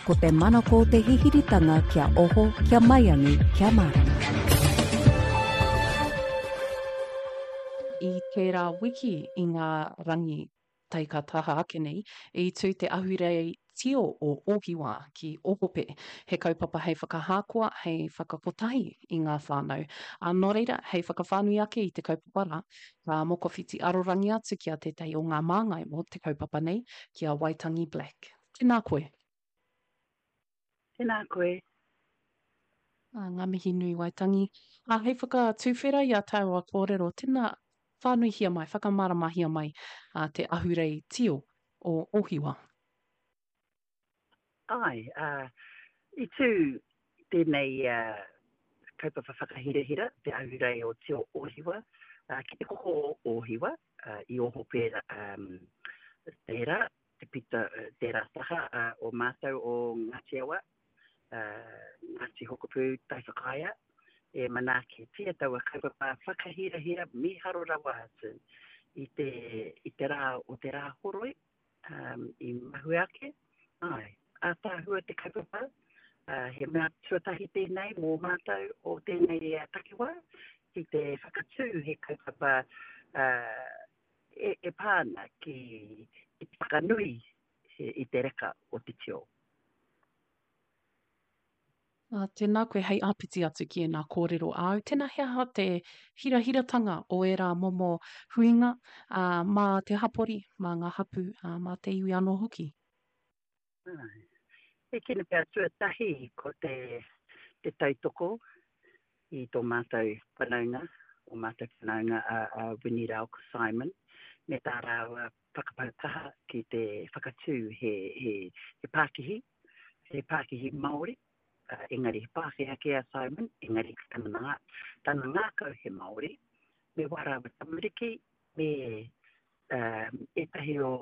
Ko te manako o te hihiritanga kia oho, kia maiangi, kia mārama. I tērā wiki i ngā rangi tai ka taha ake nei, i tū te ahurei tio o Ōhiwa ki Ohope, he kaupapa hei whakahākoa, hei whakakotahi i ngā whānau. Ā, nō reira, hei whakawhānui ake i te kaupapa rā, ka mokowhiti arorangi atu ki a tētahi o ngā māngai mō te kaupapa nei, ki a Waitangi Black. Tēnā koe. Tēnā koe. Ā, ngā mihi nui Waitangi. Ā, hei whakatuwhera i a tāua kōrero, tēnā, whānuihia mai, whakamāramahia mai ā, te ahurei tio o Ōhiwa. Āe, ā, i tū tēnei ā, kaupapa whakahirahira, te ahurei o Tio Ōhiwa, ā, ki te koko o Ōhiwa, ā, i Ohope, ā, tērā, te pito, tērā taha o mātou o Ngāti Awa, Ngāti Hokopū, Taiwhakaea, e manaakitia taua kaupapa whakahirahira mīharo rawa atu i te, i te rā o te Rāhoroi, um, i mahue ake. Āe, ātaahua te kaupapa, uh, he mea tuatahi tēnei mō mātou o tēnei takiwā, ki te whakatū he kaupapa uh, e, e pā ana ki, ki te whakanui i te reka o te tio. Ā, tēnā koe hei āpiti atu ki ēnā kōrero āu. Tēnā he aha te hirahiratanga o ērā momo huinga, ā, mā te hapori, mā ngā hapū, ā, mā te iwi anō hoki? Āe. E kino pea tuatahi ko te, te tautoko i tō mātou whanaunga, ō mātou whanaunga a, a Winnie rāua ko Simon, me tā rāua whakapau kaha ki te whakatū he, he, he pākihi, he pākihi Māori, uh, engari he Pākehā kē a Simon, engari tana, ngā, tana ngākau he Māori, me wā rāua tamariki, me ētahi o,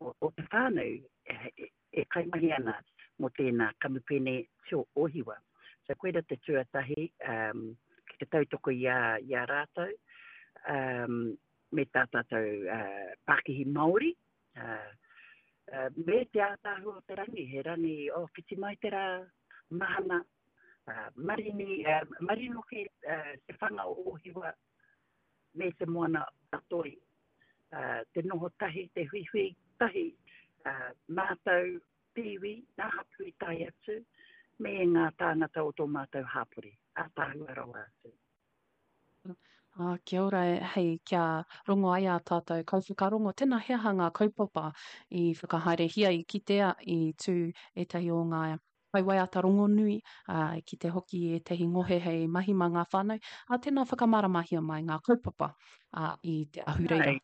o, o te whānau e, e kaimahi ana mō tēnā kamupene Tio Ohiwa. So koira te tuatahi um, ki te tautoko i a, i a rātou, um, me tā tātou uh, pākihi Māori, uh, uh, me te ātaahua o te rangi, he rangi, oh, whiti mai te rā, mahana, uh, marini, uh, marino ke uh, te whanga o Ohiwa, me te moana a Toi, te noho tahi, te huihui tahi, mātou te iwi, ngā hapū i tae atu, me ngā tāngata o tō mātou hāpori, ātaahua rawa atu. Ā, kia ora, hei kia rongo ai ā tātou kaiwhakarongo, tēnā he aha ngā kaupapa i whakahaerehia, i kitea, i tū ētahi o ngā kaiwaiata rongonui, ā, i kite hoki i ētahi ngohe hei mahi mā ngā whānau, ā, tēnā whakamāramahia mai ngā kaupapa, ā, i te ahurei rā.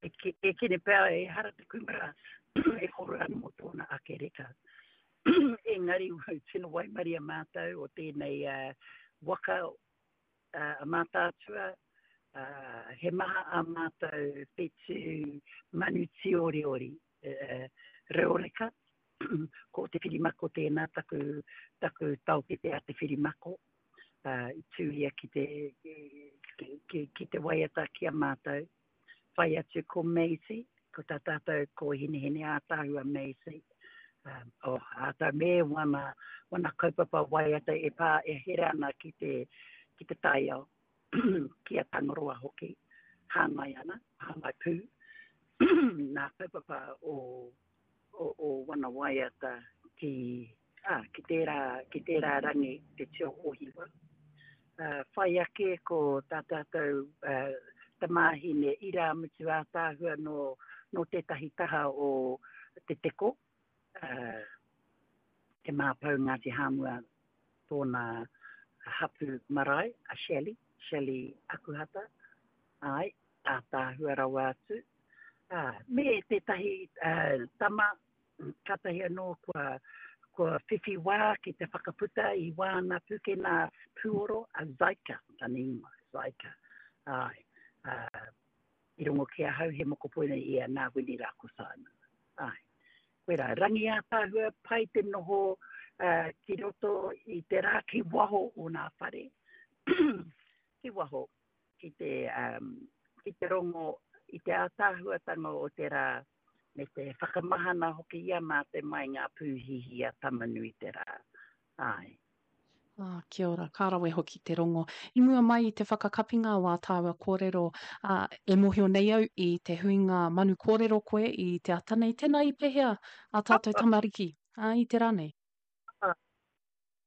E, e kene pea ehara te kūmara e kōrero ana mō tōna ake reka. Engari, tino waimaria mātou o tēnei uh, waka uh, a Mātaatua, uh, he maha a mātou whetū manu tīoriori uh, reo reka. Ko Te Whirimako tēnā, taku, taku taokete a Te Whirimako. Uh, i tū ia ki te, ki, ki, ki te waiata ki a mātou. Whai atu ko Maisie, ko tā tātou ko Hinehine ātaahua Maisie. Um, oh, āta me wana, wana kaupapa waiata e pā e here ana ki te, ki te taiao, ki a Tangaroa hoki, hāngai ana, hāngai pū, nā kaupapa o, o, o wana waiata ki, ā, ki tērā, ki tērā rangi, te tio Ōhiwa. Uh, whai ake ko tā tātou uh, tamāhine irāmutu ātaahua nō, nō tētahi taha o Te Teko, uh, Te Māpou Ngāti Hāmua tōna hapu marae, a Shelley, Shelley Akuhata, āe, ātaahua rawa atu. Ā, me tētahi uh, tama, kātahi anō kua, kua whiwhi wā ki te whakaputa i wāna pūkena pūoro, a Zaika, tana ingoa, Zaika. Āe, ā, i rongo ki ahau he mokopuna ia nā Wini rā ko Simon. Āe. Koirā, rangi ātaahua, pai te noho uh, ki roto i te rā ki waho o nā whare, ki waho, ki te, um, ki te rongo i te ātaahuatanga o te rā. Me te whakamahana hoki i a mātou mai ngā pūhihi a Tama-nui-te-rā. Āe. Ah, kia ora, ka rawe hoki te rongo. I mua mai i te whakakapinga o ā tāua kōrero, ā, e mōhio nei au i te huinga manu kōrero koe i te ata nei, tēnā i pehea ā tātou tamariki, ā, i te rā nei?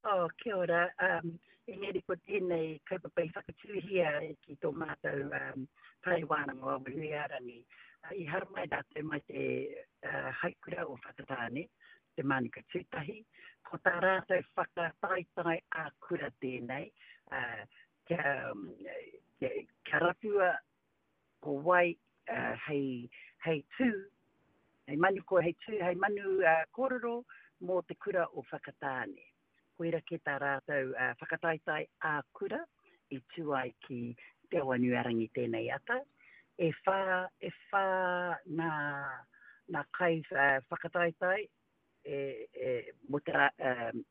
Ah, oh, kia ora. Um, engari ko tēnei kaupapa i whakatūhia ki tō mātou um, whare wānanga o Awanuiārangi. Uh, I haramai rātou mai te uh, haikura o Whakatāne, te Mānuka Tūtahi. Ko tā rātou whakataetae ā-kura tēnei, ā, kia, kia, kia rapua ko wai uh, hei, hei tū, hei manu, ko hei tū, hei manu uh, kōrero mō te kura o Whakatāne. Koira kē tā rātou uh, whakataetae ā-kura i tū ai ki Te Awanuiarangi tēnei ata. E whā, e whā ngā, ngā kai uh, whakataetae e, e, mō te rā, um,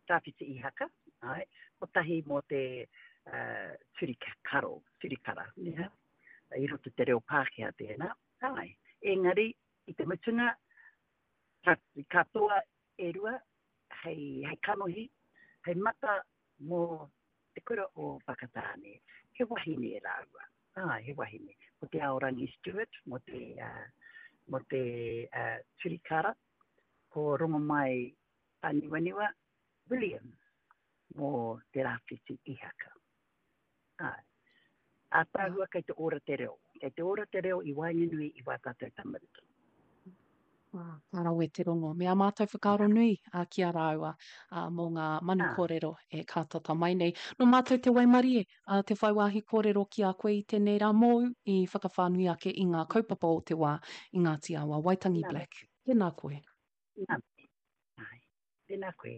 Tāwhiti Ihaka, āe, kotahi mō te uh, turi karo, turi kara, yeah? i roto te reo Pākehā tēnā, āe. Engari, i te mutunga, ka, katoa e rua hei, hei kanohi, hei mata mō te kura o Whakatāne. He wahine rāua. Āe, he wahine. Ko Te Aorangi Stewart mō te, uh, mō te uh, Turikara. Ko Rongomai Āniwaniwa Williams mō Te Rāwhiti Ihaka. Āe. Ātaahua kei te ora te reo. Kei te ora te reo i waenganui i wā tātou tamariki. Ah, ka rawe te rongo. Me ā mātou whakaaro nui a, ki a rāua a, mō ngā manu kōrero e kātata mai nei. Nō mātou te waimarie a, te whai wāhi kōrero ki a koe i tēnei rā mōu i whakawhānui ake i ngā kaupapa o te wā i Ngāti Awa. Waitangi Black. Tēnā koe. Nā mihi. Āe. Tēnā koe.